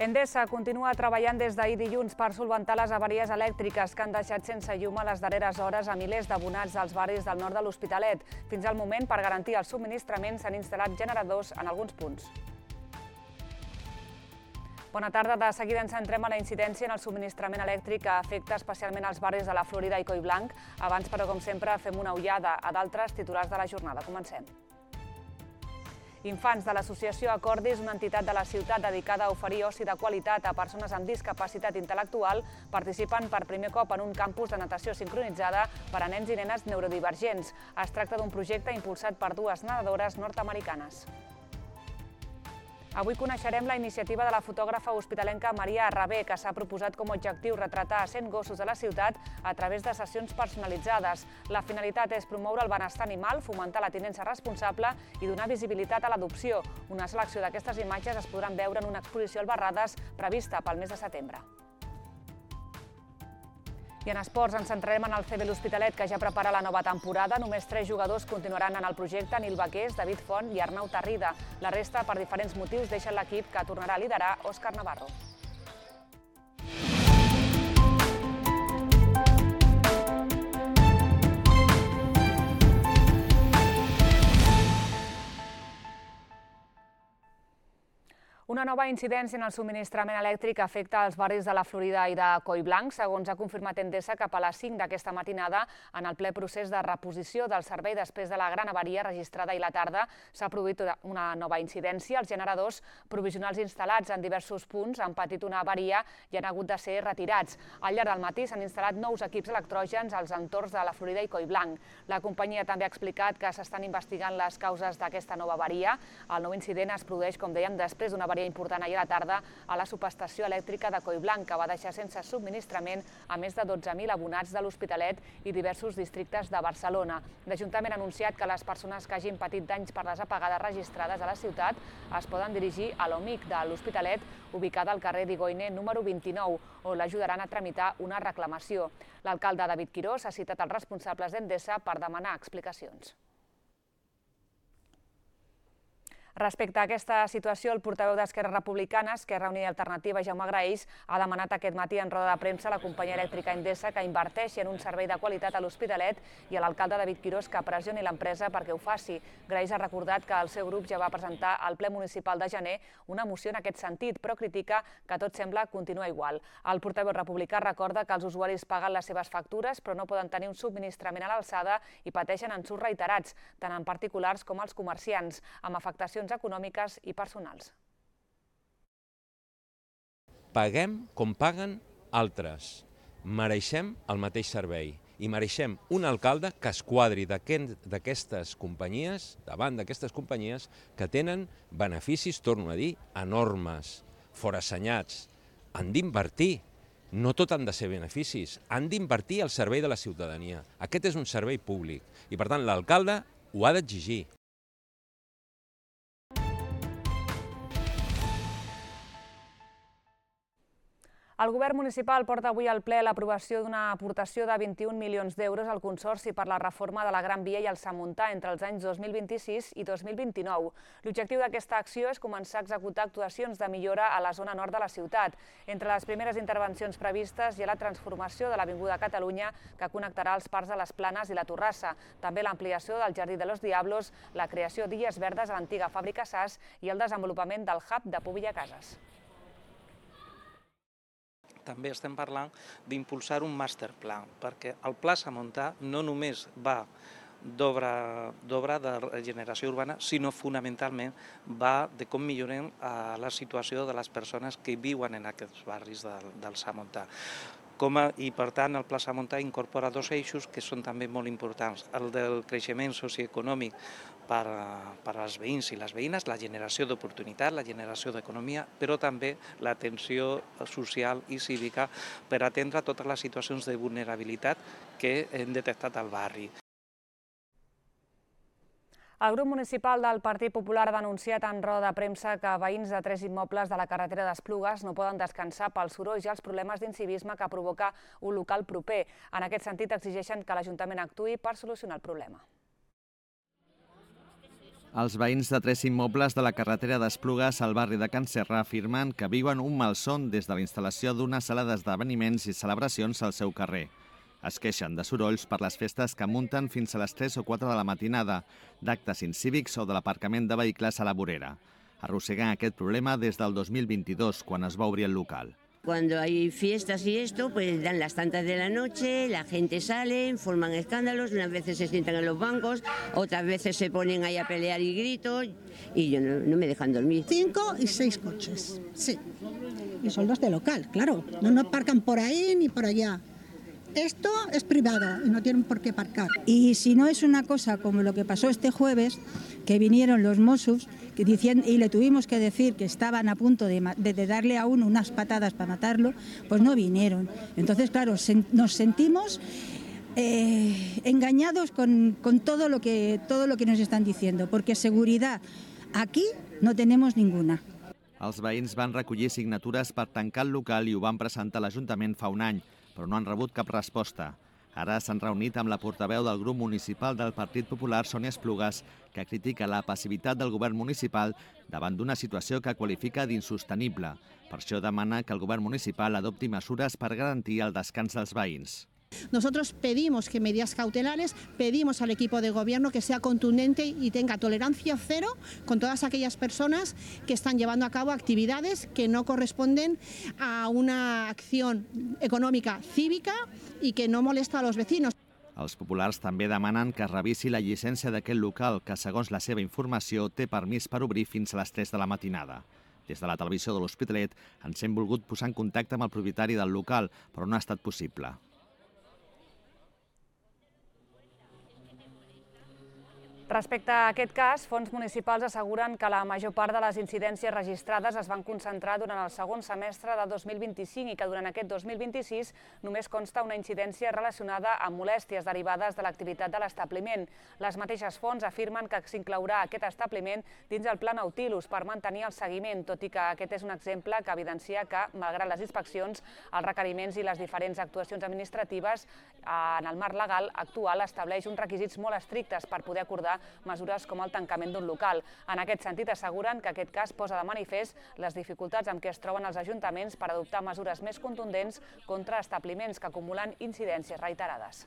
Endesa continua treballant des d'ahir dilluns per solventar les avaries elèctriques que han deixat sense llum a les darreres hores a milers d'abonats dels barris del nord de l'Hospitalet. Fins al moment, per garantir el subministrament, s'han instal·lat generadors en alguns punts. Bona tarda. De seguida ens centrem en la incidència en el subministrament elèctric que afecta especialment els barris de la Florida i Collblanc. Abans, però, com sempre, fem una ullada a d'altres titulars de la jornada. Comencem. Infants de l'associació Acordis, una entitat de la ciutat dedicada a oferir oci de qualitat a persones amb discapacitat intel·lectual, participen per primer cop en un campus de natació sincronitzada per a nens i nenes neurodivergents. Es tracta d'un projecte impulsat per dues nedadores nord-americanes. Avui coneixerem la iniciativa de la fotògrafa hospitalenca Maria Arrabé, que s'ha proposat com a objectiu retratar 100 gossos de la ciutat a través de sessions personalitzades. La finalitat és promoure el benestar animal, fomentar la tinença responsable i donar visibilitat a l'adopció. Una selecció d'aquestes imatges es podran veure en una exposició al Barrades prevista pel mes de setembre. I en esports ens centrarem en el CB l'Hospitalet, que ja prepara la nova temporada. Només 3 jugadors continuaran en el projecte: Nil Baqués, David Font i Arnau Tarrida. La resta, per diferents motius, deixen l'equip, que tornarà a liderar Òscar Navarro. Una nova incidència en el subministrament elèctric afecta els barris de la Florida i de Collblanc. Segons ha confirmat Endesa, cap a les 5 d'aquesta matinada, en el ple procés de reposició del servei després de la gran avaria registrada ahir a la tarda, s'ha produït una nova incidència. Els generadors provisionals instal·lats en diversos punts han patit una avaria i han hagut de ser retirats. Al llarg del matí s'han instal·lat nous equips electrògens als entorns de la Florida i Collblanc. La companyia també ha explicat que s'estan investigant les causes d'aquesta nova avaria. El nou incident es produeix, com dèiem, després d'una avaria important ahir a la tarda a la subestació elèctrica de Collblanc, que va deixar sense subministrament a més de 12.000 abonats de l'Hospitalet i diversos districtes de Barcelona. L'Ajuntament ha anunciat que les persones que hagin patit danys per les apagades registrades a la ciutat es poden dirigir a l'OMIC de l'Hospitalet, ubicada al carrer d'Igoine número 29, on l'ajudaran a tramitar una reclamació. L'alcalde David Quirós ha citat els responsables d'Endesa per demanar explicacions. Respecte a aquesta situació, el portaveu d'Esquerra Republicana, Esquerra Unida i Alternativa, Jaume Graells, ha demanat aquest matí en roda de premsa a la companyia elèctrica Endesa que inverteixi en un servei de qualitat a l'Hospitalet i a l'alcalde David Quirós que pressioni l'empresa perquè ho faci. Graells ha recordat que el seu grup ja va presentar al ple municipal de gener una moció en aquest sentit, però critica que tot sembla continuar igual. El portaveu republicà recorda que els usuaris paguen les seves factures però no poden tenir un subministrament a l'alçada i pateixen ensurts reiterats, tant en particulars com els comerciants, amb afectacions econòmiques i personals. Paguem com paguen altres. Mereixem el mateix servei i mereixem un alcalde que es quadri d'aquestes companyies, davant d'aquestes companyies que tenen beneficis, torno a dir, enormes, forassenyats. Han d'invertir. No tot han de ser beneficis. Han d'invertir al servei de la ciutadania. Aquest és un servei públic i, per tant, l'alcalde ho ha d'exigir. El govern municipal porta avui al ple l'aprovació d'una aportació de 21 milions d'euros al Consorci per la reforma de la Gran Via i el Samontà entre els anys 2026 i 2029. L'objectiu d'aquesta acció és començar a executar actuacions de millora a la zona nord de la ciutat. Entre les primeres intervencions previstes hi ha la transformació de l'Avinguda Catalunya, que connectarà els parcs de les Planes i la Torrassa, també l'ampliació del Jardí de los Diablos, la creació d'illes verdes a l'antiga fàbrica SAS i el desenvolupament del hub de Pobilla Cases. També estem parlant d'impulsar un masterplan, perquè el Pla Samontà no només va d'obra de regeneració urbana, sinó fonamentalment va de com millorem la situació de les persones que viuen en aquests barris del Samontà. I, per tant, el Pla Samontà incorpora 2 eixos que són també molt importants. El del creixement socioeconòmic per als veïns i les veïnes, la generació d'oportunitat, la generació d'economia, però també l'atenció social i cívica per atendre totes les situacions de vulnerabilitat que hem detectat al barri. El grup municipal del Partit Popular ha denunciat en roda de premsa que veïns de 3 immobles de la carretera d'Esplugues no poden descansar pels sorolls i els problemes d'incivisme que provoca un local proper. En aquest sentit, exigeixen que l'Ajuntament actuï per solucionar el problema. Els veïns de 3 immobles de la carretera d'Esplugues al barri de Can Serra afirmen que viuen un malson des de la instal·lació d'una sala d'esdeveniments i celebracions al seu carrer. Es queixen de sorolls per les festes que munten fins a les 3 o 4 de la matinada, d'actes incívics o de l'aparcament de vehicles a la vorera. Arrosseguen aquest problema des del 2022, quan es va obrir el local. Cuando hay fiestas y esto, pues dan las tantas de la noche, la gente sale, forman escándalos, unas veces se sientan en los bancos, otras veces se ponen ahí a pelear y gritos, y yo no me dejan dormir. 5 y 6 coches, sí. Y son los de local, claro. No aparcan por ahí ni por allá. Esto es privado y no tienen por qué aparcar. Y si no es una cosa como lo que pasó este jueves, que vinieron los Mossos y le tuvimos que decir que estaban a punto de darle a uno unas patadas para matarlo, pues no vinieron. Entonces, claro, nos sentimos engañados con todo lo que nos están diciendo, porque seguridad aquí no tenemos ninguna. Els veïns van recollir signatures per tancar el local i ho van presentar a l'Ajuntament fa un any, però no han rebut cap resposta. Ara s'han reunit amb la portaveu del grup municipal del Partit Popular, Sònia Esplugues, que critica la passivitat del govern municipal davant d'una situació que qualifica d'insostenible. Per això demana que el govern municipal adopti mesures per garantir el descans dels veïns. Nosotros pedimos que medidas cautelares, pedimos al equipo de gobierno que sea contundente y tenga tolerancia cero con todas aquellas personas que están llevando a cabo actividades que no corresponden a una acción econòmica cívica i que no molesta a los vecinos. Els populars també demanen que es revisi la llicència d'aquest local, que segons la seva informació té permís per obrir fins a les 3 de la matinada. Des de la televisió de l'Hospitalet ens hem volgut posar en contacte amb el propietari del local, però no ha estat possible. Respecte a aquest cas, fons municipals asseguren que la major part de les incidències registrades es van concentrar durant el segon semestre de 2025 i que durant aquest 2026 només consta una incidència relacionada amb molèsties derivades de l'activitat de l'establiment. Les mateixes fonts afirmen que s'inclourà aquest establiment dins el Pla Nautilus per mantenir el seguiment, tot i que aquest és un exemple que evidencia que, malgrat les inspeccions, els requeriments i les diferents actuacions administratives en el marc legal actual estableix uns requisits molt estrictes per poder acordar mesures com el tancament d'un local. En aquest sentit, asseguren que aquest cas posa de manifest les dificultats amb què es troben els ajuntaments per adoptar mesures més contundents contra establiments que acumulen incidències reiterades.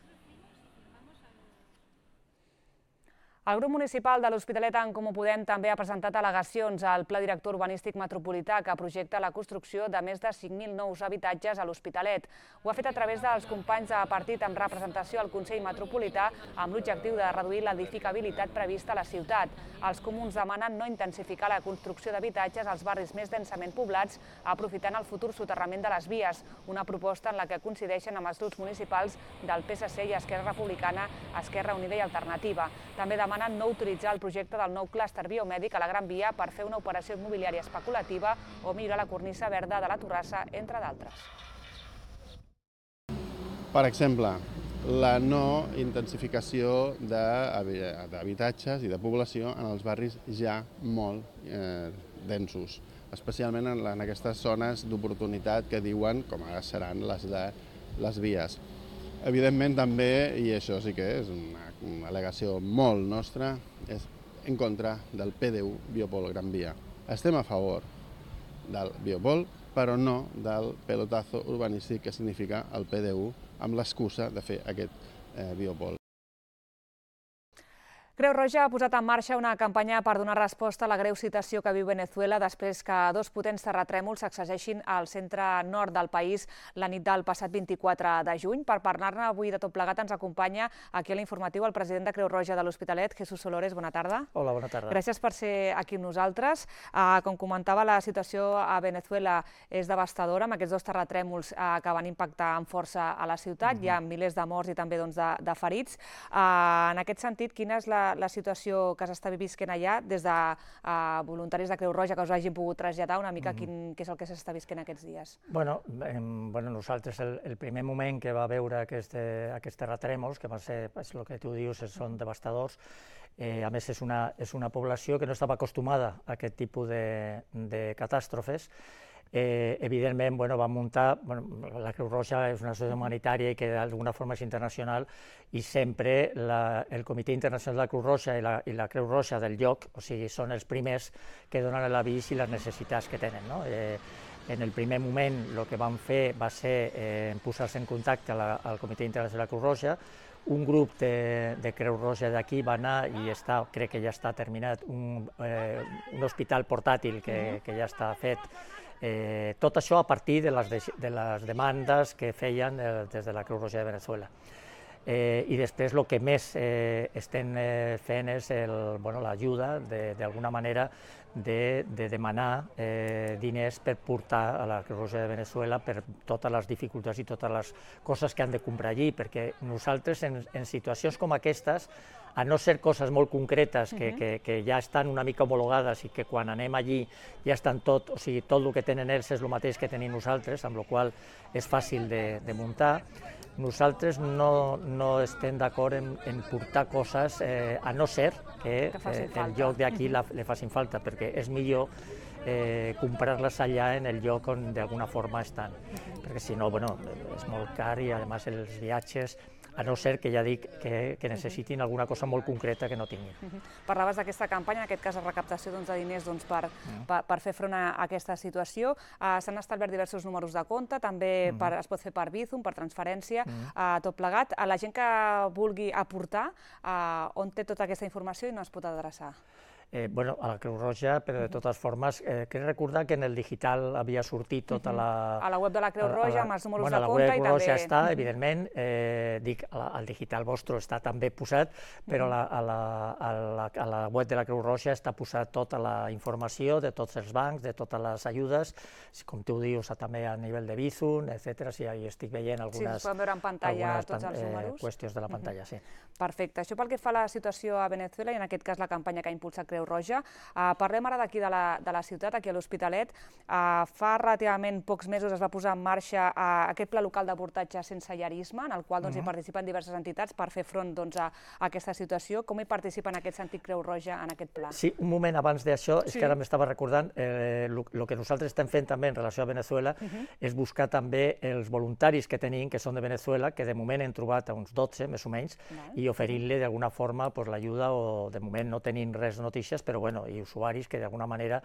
El grup municipal de l'Hospitalet en Comú Podem també ha presentat al·legacions al Pla Director Urbanístic Metropolità que projecta la construcció de més de 5.000 nous habitatges a l'Hospitalet. Ho ha fet a través dels companys de partit amb representació al Consell Metropolità amb l'objectiu de reduir l'edificabilitat prevista a la ciutat. Els comuns demanen no intensificar la construcció d'habitatges als barris més densament poblats aprofitant el futur soterrament de les vies, una proposta en la que coincideixen amb els grups municipals del PSC i Esquerra Republicana, Esquerra Unida i Alternativa. També demanen no utilitzar el projecte del nou clúster biomèdic a la Gran Via per fer una operació immobiliària especulativa o millorar la cornisa verda de la Torrassa, entre d'altres. Per exemple, la no intensificació d'habitatges i de població en els barris ja molt densos, especialment en aquestes zones d'oportunitat que diuen com ara seran les de les vies. Evidentment també, i això sí que és una al·legació molt nostra, és en contra del PDU Biopol Gran Via. Estem a favor del Biopol, però no del pelotazo urbanístic que significa el PDU amb l'excusa de fer aquest Biopol. Creu Roja ha posat en marxa una campanya per donar resposta a la greu situació que viu Venezuela després que dos potents terratrèmols sacsegeixin al centre nord del país la nit del passat 24 de juny. Per parlar-ne avui de tot plegat ens acompanya aquí a l'informatiu el president de Creu Roja de l'Hospitalet, Jesús Solores. Bona tarda. Hola, bona tarda. Gràcies per ser aquí amb nosaltres. Com comentava, la situació a Venezuela és devastadora amb aquests dos terratrèmols que van impactar amb força a la ciutat. Hi ha milers de morts i també de ferits. En aquest sentit, quina és la situació que s'està visquent allà des de voluntaris de Creu Roja que us hagin pogut traslladar una mica què és el que s'està visquent aquests dies? Bueno, nosaltres el primer moment que va veure aquests terratrèmols, que va ser, el que tu dius, són devastadors, a més és una població que no estava acostumada a aquest tipus de catàstrofes, evidentment vam muntar, la Creu Roja és una associació humanitària i que d'alguna forma és internacional, i sempre el Comitè Internacional de la Creu Roja i la Creu Roja del lloc, o sigui, són els primers que donen l'avís i les necessitats que tenen. En el primer moment el que vam fer va ser posar-se en contacte al Comitè Internacional de la Creu Roja. Un grup de Creu Roja d'aquí va anar i crec que ja està terminat, un hospital portàtil que ja està fet. Tot això a partir de les demandes que feien des de la Creu Roja de Venezuela. I després el que més estem fent és l'ajuda, d'alguna manera, de demanar diners per portar a la Creu Roja de Venezuela per totes les dificultats i totes les coses que han de comprar allí, perquè nosaltres en situacions com aquestes, a no ser coses molt concretes que ja estan una mica homologades i que quan anem allí ja estan tot, o sigui, tot el que tenen ells és el mateix que tenim nosaltres, amb la qual cosa és fàcil de muntar. Nosaltres no estem d'acord en portar coses, a no ser que el lloc d'aquí li facin falta, perquè és millor comprar-les allà en el lloc on d'alguna forma estan, perquè si no, és molt car i a més els viatges, a no ser que ja dic que necessitin alguna cosa molt concreta que no tinguin. Parlaves d'aquesta campanya, en aquest cas de recaptació de diners per fer front a aquesta situació. S'han establert diversos números de compte, també es pot fer per Bizum, per transferència, tot plegat. A la gent que vulgui aportar, on té tota aquesta informació i no es pot adreçar? A la Creu Roja, però de totes formes, crec recordar que en el digital havia sortit tota la... A la web de la Creu Roja, amb els números de compte i també... A la web de la Creu Roja està, evidentment, dic, al digital vostre està també posat, però a la web de la Creu Roja està posat tota la informació de tots els bancs, de totes les ajudes, com tu dius, també a nivell de Bizum, etc. Si hi estic veient algunes... Sí, es poden veure en pantalla tots els números. Qüestions de la pantalla, sí. Perfecte. Això pel que fa a la situació a Venezuela i en aquest cas la campanya que ha impulsat Creu Roja. Parlem ara d'aquí de la ciutat, aquí a l'Hospitalet. Fa relativament pocs mesos es va posar en marxa aquest pla local d'abordatge sense llarisme, en el qual hi participen diverses entitats per fer front a aquesta situació. Com hi participa en aquest sentit Creu Roja en aquest pla? Sí, un moment abans d'això, és que ara m'estava recordant, el que nosaltres estem fent també en relació a Venezuela és buscar també els voluntaris que tenim, que són de Venezuela, que de moment hem trobat uns 12, més o menys, i oferint-li d'alguna forma l'ajuda, o de moment no tenim res de notícies, però i usuaris que d'alguna manera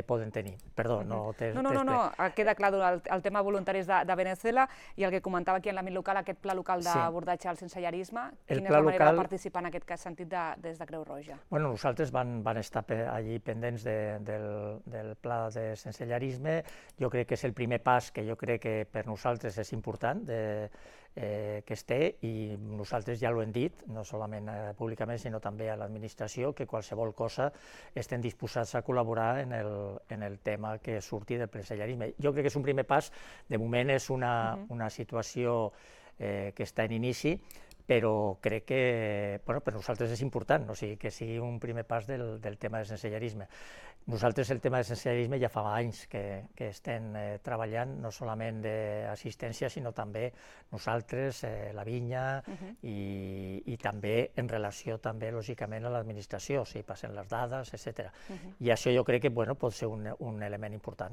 poden tenir. Perdó, no... No, queda clar el tema voluntaris de Venezuela i el que comentava aquí en l'àmbit local, aquest pla local d'abordatge al sensellarisme, quina és la manera de participar en aquest sentit des de Creu Roja? Nosaltres van estar allí pendents del pla de sensellarisme. Jo crec que és el primer pas que jo crec que per nosaltres és important que es té, i nosaltres ja ho hem dit, no solament públicament, sinó també a l'administració, que qualsevol cosa estem disposats a col·laborar en el tema que surti del sensellarisme. Jo crec que és un primer pas, de moment és una situació que està en inici, però crec que per nosaltres és important, o sigui, que sigui un primer pas del tema del sensellarisme. Nosaltres el tema del sensellarisme ja fa anys que estem treballant, no solament d'assistència, sinó també nosaltres, la vinya, i també en relació, també, lògicament, a l'administració, o sigui, passen les dades, etc. I això jo crec que pot ser un element important.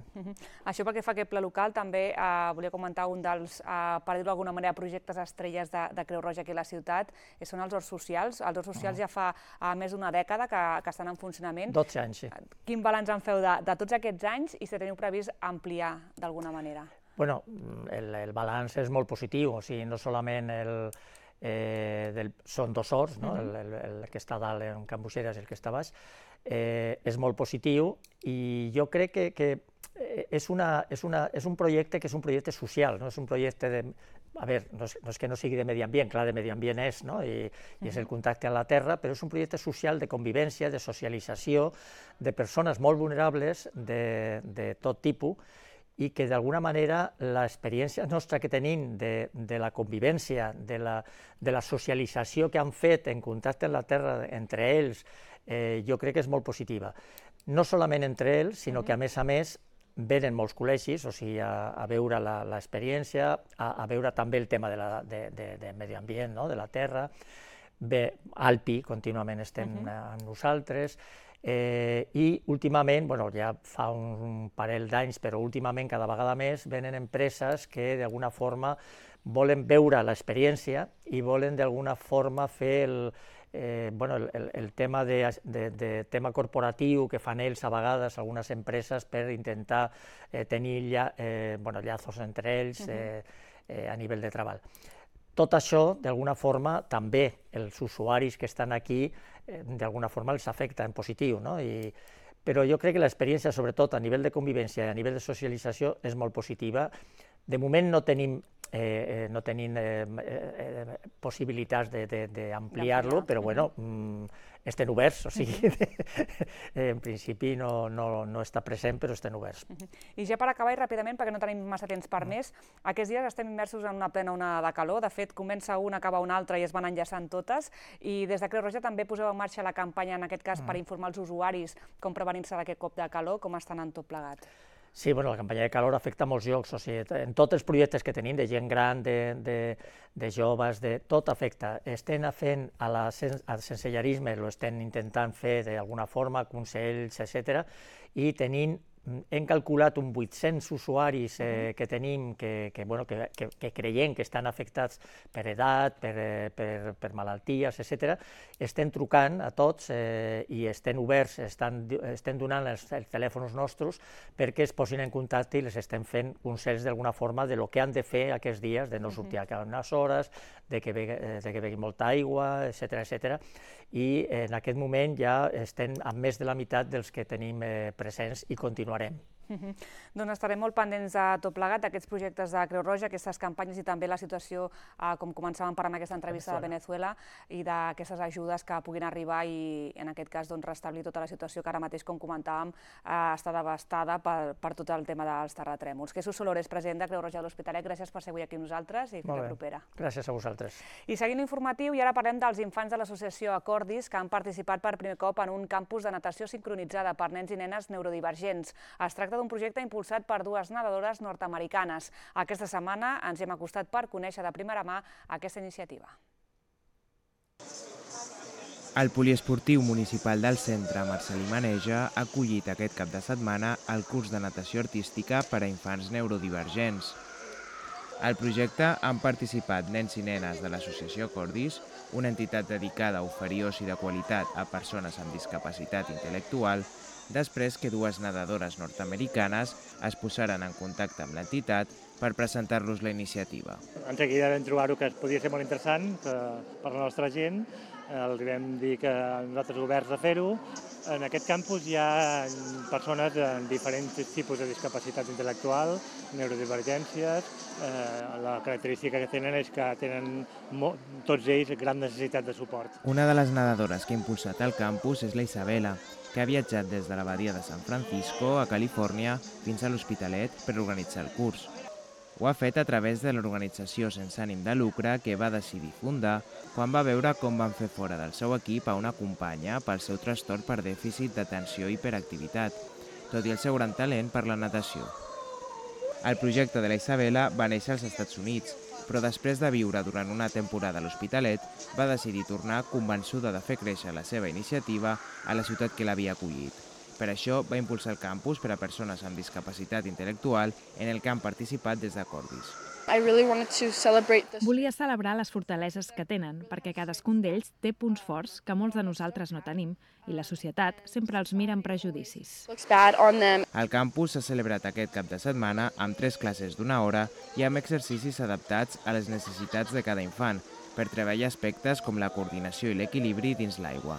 Això pel que fa a aquest pla local, també volia comentar un dels, per dir-ho d'alguna manera, projectes estrelles de Creu Roja aquí a la ciutat, són els horts socials. Els horts socials ja fa més d'una dècada que estan en funcionament. 12 anys, sí. Quin balanç en feu de tots aquests anys i si teniu previst ampliar d'alguna manera? El balanç és molt positiu, o sigui, no solament són dos horts, el que està dalt en Can Buixeras i el que està baix, és molt positiu, i jo crec que és un projecte que és un projecte social, no és un projecte de... A veure, no és que no sigui de medi ambient, clar, de medi ambient és, i és el contacte amb la terra, però és un projecte social de convivència, de socialització, de persones molt vulnerables de tot tipus, i que d'alguna manera l'experiència nostra que tenim de la convivència, de la socialització que han fet en contacte amb la terra entre ells, jo crec que és molt positiva. No solament entre ells, sinó que a més venen molts col·legis, o sigui, a veure l'experiència, a veure també el tema de medi ambient, de la terra. Bé, Alpi, contínuament estem amb nosaltres, I últimament, ja fa un parell d'anys, però últimament cada vegada més venen empreses que d'alguna forma volen veure l'experiència i volen d'alguna forma fer el tema corporatiu que fan ells a vegades, algunes empreses, per intentar tenir llazos entre ells a nivell de treball. Tot això, d'alguna forma, també els usuaris que estan aquí, d'alguna forma els afecta en positiu, no? Però jo crec que l'experiència, sobretot a nivell de convivència i a nivell de socialització, és molt positiva. De moment no tenim possibilitats d'ampliar-lo, però estem oberts, o sigui, en principi no està present, però estem oberts. I ja per acabar, i ràpidament, perquè no tenim massa temps per més, aquests dies estem immersos en una plena onada de calor, de fet comença una, acaba una altra i es van enllaçant totes, i des de Creu Roja també poseu en marxa la campanya, en aquest cas, per informar els usuaris com prevenir-se d'aquest cop de calor, com estan en tot plegat. Sí, la campanya de calor afecta a molts llocs, o sigui, en tots els projectes que tenim, de gent gran, de joves, tot afecta. Estem fent al sensellarisme, estem intentant fer d'alguna forma, consells, etc. I hem calculat 800 usuaris que tenim que creiem que estan afectats per edat, per malalties, etc. Estem trucant a tots i estem oberts, estem donant els telèfons nostres perquè es posin en contacte i les estem fent consells d'alguna forma de lo que han de fer aquests dies, de no sortir a cada unes hores, de que begui molta aigua, etc. I en aquest moment ja estem amb més de la meitat dels que tenim presents i continuarem. Doncs estarem molt pendents de tot plegat, d'aquests projectes de Creu Roja, aquestes campanyes i també la situació, com començàvem per amb aquesta entrevista de Venezuela, i d'aquestes ajudes que puguin arribar i, en aquest cas, restablir tota la situació que ara mateix, com comentàvem, està devastada per tot el tema dels terratrèmols. Jesús Solores, president de Creu Roja de l'Hospitalet, gràcies per ser avui aquí amb nosaltres i fins la propera. Gràcies a vosaltres. I seguint l'informatiu, i ara parlem dels infants de l'associació Acordis, que han participat per primer cop en un campus de natació sincronitzada per nens i nenes neurodivergents. Es tracta d'un projecte impulsat per dues nedadores nord-americanes. Aquesta setmana ens hem acostat per conèixer de primera mà aquesta iniciativa. El poliesportiu municipal del centre Marcelí Maneja ha acollit aquest cap de setmana el curs de natació artística per a infants neurodivergents. Al projecte han participat nens i nenes de l'associació Acordis, una entitat dedicada a oferir oci de qualitat a persones amb discapacitat intel·lectual, després que dues nedadores nord-americanes es posaren en contacte amb l'entitat per presentar-los la iniciativa. Enseguida vam trobar-ho que podia ser molt interessant per la nostra gent, els vam dir que nosaltres oberts a fer-ho. En aquest campus hi ha persones amb diferents tipus de discapacitat intel·lectual, neurodivergències. La característica que tenen és que tenen tots ells gran necessitat de suport. Una de les nedadores que ha impulsat el campus és la Isabela, que ha viatjat des de la badia de San Francisco, a Califòrnia, fins a l'Hospitalet per organitzar el curs. Ho ha fet a través de l'organització sense ànim de lucre que va decidir fundar quan va veure com van fer fora del seu equip a una companya pel seu trastorn per dèficit d'atenció i hiperactivitat, tot i el seu gran talent per la natació. El projecte de la Isabela va néixer als Estats Units, però després de viure durant una temporada a l'Hospitalet, va decidir tornar convençuda de fer créixer la seva iniciativa a la ciutat que l'havia acollit. Per això va impulsar el campus per a persones amb discapacitat intel·lectual en el que han participat des d'Acordis. Volia celebrar les fortaleses que tenen, perquè cadascun d'ells té punts forts que molts de nosaltres no tenim, i la societat sempre els mira amb prejudicis. El campus s'ha celebrat aquest cap de setmana amb 3 classes d'1 hora i amb exercicis adaptats a les necessitats de cada infant, per treballar aspectes com la coordinació i l'equilibri dins l'aigua.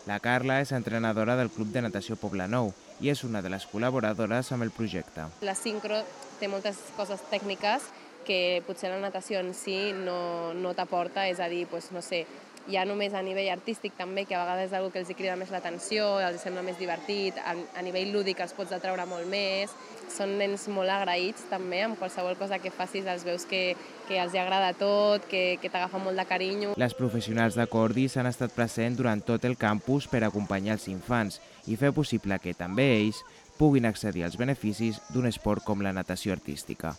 La Carla és entrenadora del Club de Natació Poblenou i és una de les col·laboradores amb el projecte. La sincro té moltes coses tècniques que potser la natació en si no t'aporta, és a dir, no sé, ja només a nivell artístic també, que a vegades és una que els crida més l'atenció, els sembla més divertit, a nivell lúdic els pots atraure molt més. Són nens molt agraïts també, amb qualsevol cosa que facis els veus que els agrada tot, que t'agafa molt de carinyo. Les professionals d'Acordis han estat presents durant tot el campus per acompanyar els infants i fer possible que també ells puguin accedir als beneficis d'un esport com la natació artística.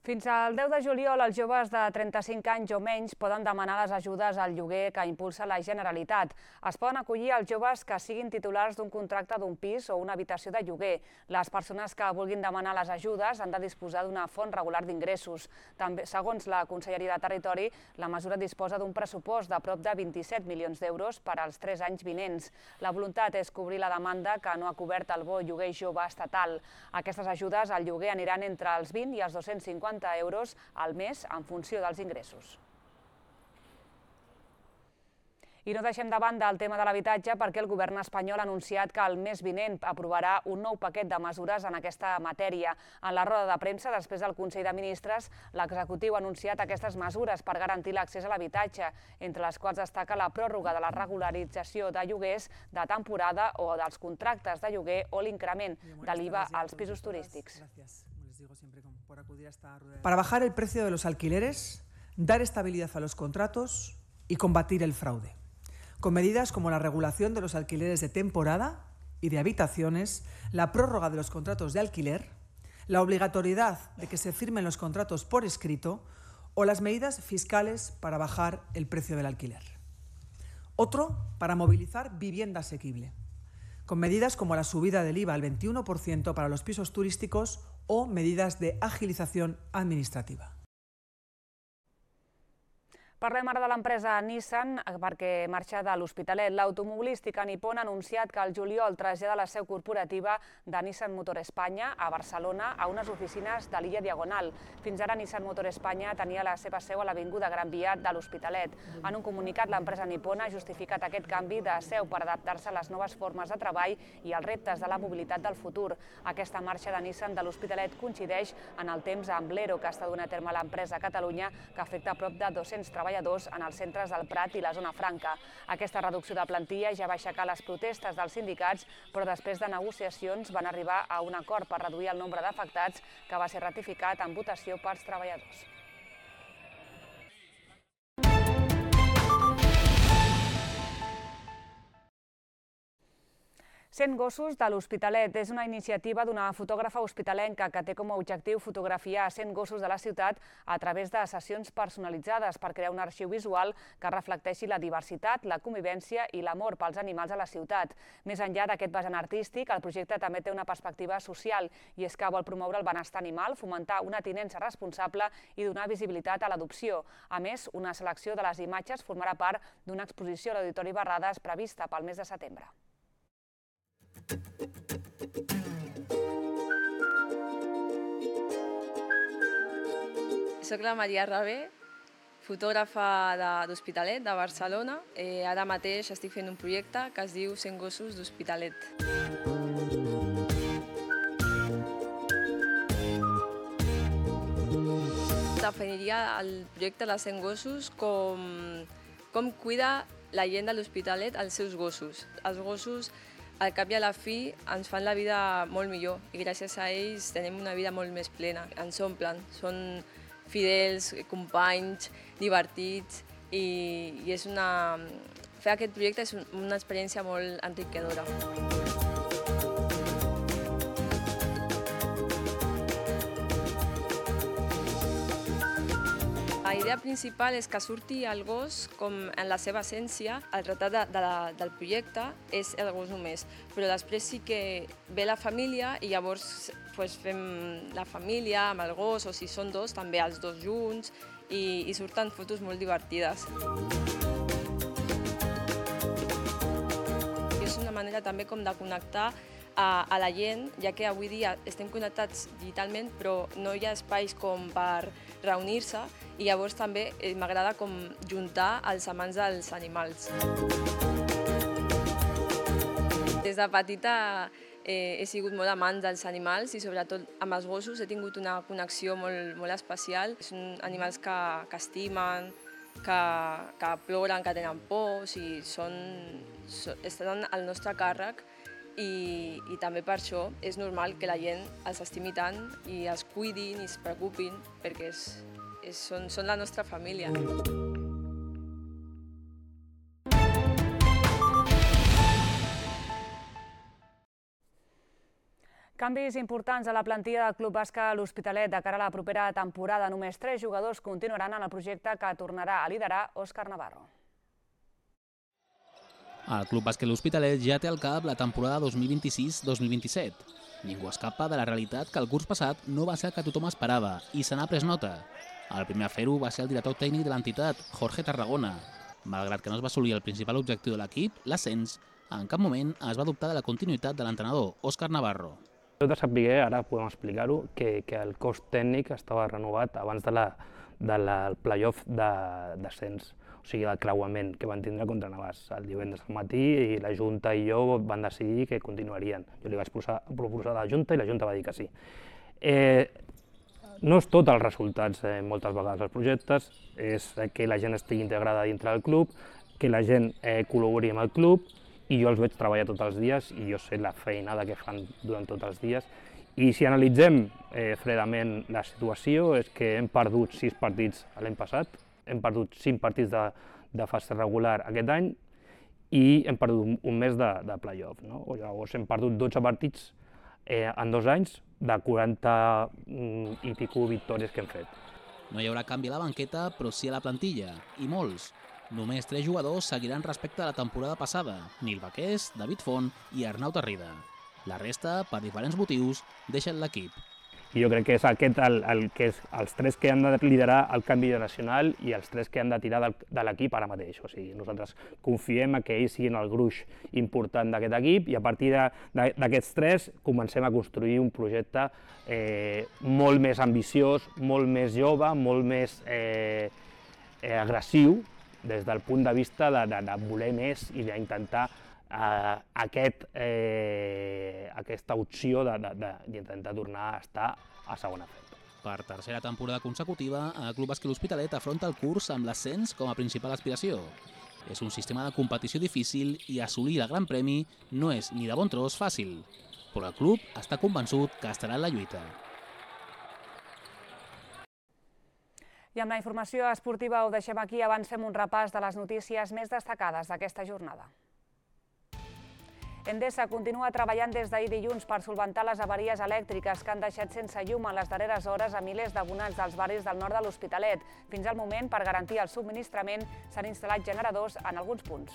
Fins al 10 de juliol, els joves de 35 anys o menys poden demanar les ajudes al lloguer que impulsa la Generalitat. Es poden acollir els joves que siguin titulars d'un contracte d'un pis o una habitació de lloguer. Les persones que vulguin demanar les ajudes han de disposar d'una font regular d'ingressos. També, segons la Conselleria de Territori, la mesura disposa d'un pressupost de prop de 27 milions d'euros per als 3 anys vinents. La voluntat és cobrir la demanda que no ha cobert el bo lloguer jove estatal. Aquestes ajudes al lloguer aniran entre els 20 i els 250 euros al mes en funció dels ingressos. I no deixem de banda el tema de l'habitatge perquè el govern espanyol ha anunciat que el mes vinent aprovarà un nou paquet de mesures en aquesta matèria. En la roda de premsa, després del Consell de Ministres, l'executiu ha anunciat aquestes mesures per garantir l'accés a l'habitatge, entre les quals destaca la pròrroga de la regularització de lloguers de temporada o dels contractes de lloguer o l'increment de l'IVA als pisos turístics. Para bajar el precio de los alquileres, dar estabilidad a los contratos y combatir el fraude, con medidas como la regulación de los alquileres de temporada y de habitaciones, la prórroga de los contratos de alquiler, la obligatoriedad de que se firmen los contratos por escrito o las medidas fiscales para bajar el precio del alquiler. Otro, para movilizar vivienda asequible, con medidas como la subida del IVA al 21% para los pisos turísticos o medidas de agilización administrativa. Parlem ara de l'empresa Nissan perquè marxa de l'Hospitalet. L'automobilística nipona ha anunciat que al juliol trasllada la seu corporativa de Nissan Motor Espanya a Barcelona a unes oficines de l'illa Diagonal. Fins ara Nissan Motor Espanya tenia la seva seu a l'Avinguda Gran Via de l'Hospitalet. En un comunicat, l'empresa nipona ha justificat aquest canvi de seu per adaptar-se a les noves formes de treball i als reptes de la mobilitat del futur. Aquesta marxa de Nissan de l'Hospitalet coincideix en el temps amb l'ERO que està donant a terme l'empresa a Catalunya, que afecta a prop de 200 treballadors en els centres del Prat i la zona franca. Aquesta reducció de plantilla ja va aixecar les protestes dels sindicats, però després de negociacions van arribar a un acord per reduir el nombre d'afectats, que va ser ratificat en votació pels treballadors. Cent gossos de l'Hospitalet és una iniciativa d'una fotògrafa hospitalenca que té com a objectiu fotografiar 100 gossos de la ciutat a través de sessions personalitzades per crear un arxiu visual que reflecteixi la diversitat, la convivència i l'amor pels animals a la ciutat. Més enllà d'aquest vessant artístic, el projecte també té una perspectiva social i és que vol promoure el benestar animal, fomentar una tinença responsable i donar visibilitat a l'adopció. A més, una selecció de les imatges formarà part d'una exposició a l'Auditori Barrades prevista pel mes de setembre. Soc la Maria Rabé, fotògrafa d'Hospitalet, de Barcelona. Ara mateix estic fent un projecte que es diu 100 gossos d'Hospitalet. Definiria el projecte de 100 gossos com cuida la gent de l'Hospitalet els seus gossos. Els gossos, al cap i a la fi, ens fan la vida molt millor i gràcies a ells tenim una vida molt més plena. Ens omplen, són fidels, companys, divertits i fer aquest projecte és una experiència molt enriquidora. La idea principal és que surti el gos com en la seva essència. El retrat del projecte és el gos només, però després sí que ve la família i llavors fem la família amb el gos, o si són dos, també els dos junts, i surten fotos molt divertides. És una manera també com de connectar a la gent, ja que avui dia estem connectats digitalment, però no hi ha espais com per reunir-se i llavors també m'agrada com juntar els amants dels animals. Des de petita he sigut molt amant dels animals i sobretot amb els gossos he tingut una connexió molt especial. Són animals que estimen, que ploren, que tenen por, estan al nostre càrrec i també per això és normal que la gent els estimi tant i els cuidin i es preocupin perquè són la nostra família. Canvis importants a la plantilla del Club Bàsquet L'Hospitalet de cara a la propera temporada. Només 3 jugadors continuaran en el projecte que tornarà a liderar Òscar Navarro. El Club Bàsquet L'Hospitalet ja té al cap la temporada 2026-2027. Ningú escapa de la realitat que el curs passat no va ser el que tothom esperava i se n'ha pres nota. El primer a fer-ho va ser el director tècnic de l'entitat, Jorge Tarragona. Malgrat que no es va assolir el principal objectiu de l'equip, l'ascens, en cap moment es va dubtar de la continuïtat de l'entrenador, Òscar Navarro. Heu de saber, ara podem explicar-ho, que el cos tècnic estava renovat abans del play-off d'ascens, o sigui, el creuament que van tindre contra Navàs el divendres al matí, i la Junta i jo van decidir que continuarien. Jo li vaig proposar a la Junta i la Junta va dir que sí. No és tot els resultats, moltes vegades els projectes, és que la gent estigui integrada dintre del club, que la gent col·labori amb el club, i jo els veig treballar tots els dies i jo sé la feinada que fan durant tots els dies. I si analitzem fredament la situació, és que hem perdut 6 partits l'any passat, hem perdut 5 partits de fase regular aquest any i hem perdut un mes de play-off. Llavors hem perdut 12 partits en 2 anys de 40 i pico victòries que hem fet. No hi haurà canvi a la banqueta, però sí a la plantilla, i molts. Només 3 jugadors seguiran respecte a la temporada passada, Nil Baqués, David Font i Arnau Tarrida. La resta, per diferents motius, deixen l'equip. I jo crec que és aquest els 3 que han de liderar el canvi nacional i els 3 que han de tirar de l'equip ara mateix. O sigui, nosaltres confiem que ells siguin el gruix important d'aquest equip i a partir d'aquests 3 comencem a construir un projecte molt més ambiciós, molt més jove, molt més agressiu, des del punt de vista de voler més i d'intentar aquesta opció d'intentar tornar a estar a segona feta. Per tercera temporada consecutiva, el Club Bàsquet L'Hospitalet afronta el curs amb l'ascens com a principal aspiració. És un sistema de competició difícil i assolir el Gran Premi no és ni de bon tros fàcil, però el club està convençut que estarà en la lluita. I amb la informació esportiva ho deixem aquí. Abans fem un repàs de les notícies més destacades d'aquesta jornada. Endesa continua treballant des d'ahir dilluns per solventar les avaries elèctriques que han deixat sense llum en les darreres hores a milers d'abonats dels barris del nord de l'Hospitalet. Fins al moment, per garantir el subministrament, s'han instal·lat generadors en alguns punts.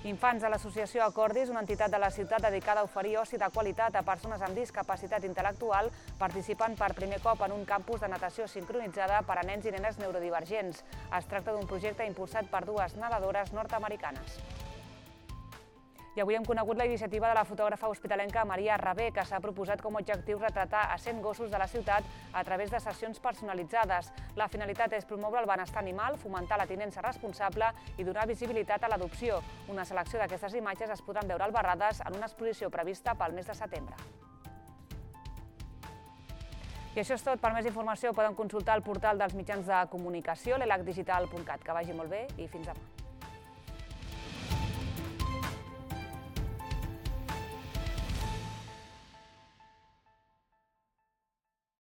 Infants de l'associació Acordis, una entitat de la ciutat dedicada a oferir oci de qualitat a persones amb discapacitat intel·lectual, participen per primer cop en un campus de natació sincronitzada per a nens i nenes neurodivergents. Es tracta d'un projecte impulsat per 2 nedadores nord-americanes. I avui hem conegut la iniciativa de la fotògrafa hospitalenca Maria Rabé, que s'ha proposat com a objectiu retratar a 100 gossos de la ciutat a través de sessions personalitzades. La finalitat és promoure el benestar animal, fomentar la tinença responsable i donar visibilitat a l'adopció. Una selecció d'aquestes imatges es podran veure al Barrades en una exposició prevista pel mes de setembre. I això és tot. Per més informació poden consultar el portal dels mitjans de comunicació, l'elacdigital.cat. Que vagi molt bé i fins demà.